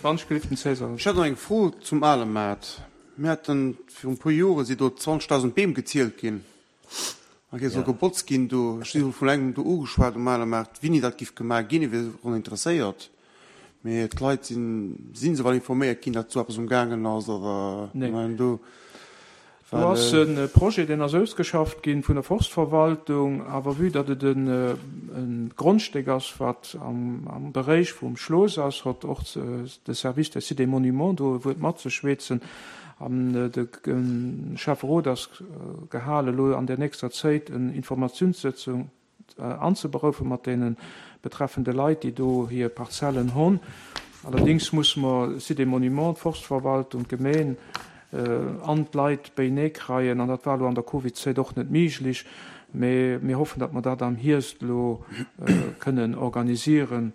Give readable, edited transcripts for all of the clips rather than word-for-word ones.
Wann ech gelift den César. Ech hätt nach eng Fro zum Alemaart. Mir haten virun e puer Jore si do 20.000 Beem gezielt ginn a gi soll gebotzt ginn do. Ech si vun engem do ugeschwat um Alemaart, wéini dat giff gemaach ginn. E wier drun interesséiert, mee d'Leit sinn, si se well informéiert ginn, datt esou eppes um gaangen ass oder do? Do ass e Projet, deen ass ausgeschafft gi vun der Forstverwaltung, awer vue datt et e Grondstéck ass, wat am Beréich vum Schloos ass, hott och de Service des Sites et Monuments do e Wuert matzeschweezen. An de Schäfferot ass gehale elo an der nächster Zéit en Informatiounssëtzung anzeberoufe mat deene betreffende Leit, déi do hir Parzellen honn. Allerdéngs musse mer Sites et Monuments, d'Forstverwaltung, d'Gemeen an d'Leit béinee kreien, an dat war elo an der Covidzéit och net méiglech. Mee mir hoffen, datt mer dat am Hierscht elo kënnen organisieren.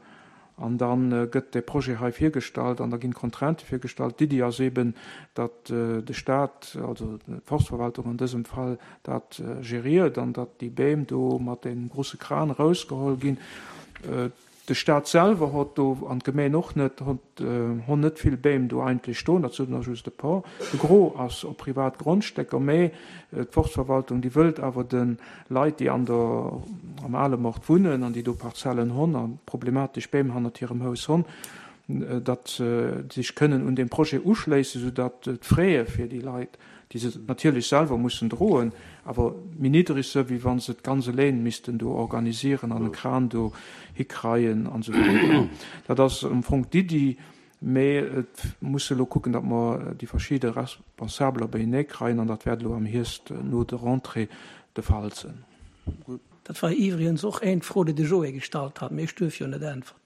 An da gëtt dee Projet hei virgestallt an da ginn d'Contraintë virgestallt. D'Iddi ass eeben, datt de Stat, also d'Forstverwaltung an dësem Fall, dat gériert an datt déi Beem do mat deem grouse Kran erausgeholl ginn. De Stat selwer hott do, an d'Gemeen och net, hott honn net vill Beem do eigentlech stoen, dat sinn der just e por. De Gros ass op privat Grondstécker, mä d'Forstverwaltung, déi wëllt awer de Leit, déi an der, am Alemort wunnen an déi do Parzellen honn a problematesch Beem hannert hirem Haus honn, datt se sech kënnen un deem Projet uschléissen, soudatt d'Fraie fir déi Leit, déi se natierlech selwer mussen droen, awer méi niddreg së wéi wa se et ganz eleng missten do organisieren an e Kran do hikreien an esou weider. Dat ass am Fong d'Iddi. Mee et musse elo kucken, datt mer déi verschidde Responsabeler beienee kreien, an dat wäert elo am Hierscht no de Rentrée de Fall sinn. Dat war iwwregens och eng Fro, déi de Joé gestallt hat, mee ech duerf jo net äntwerten.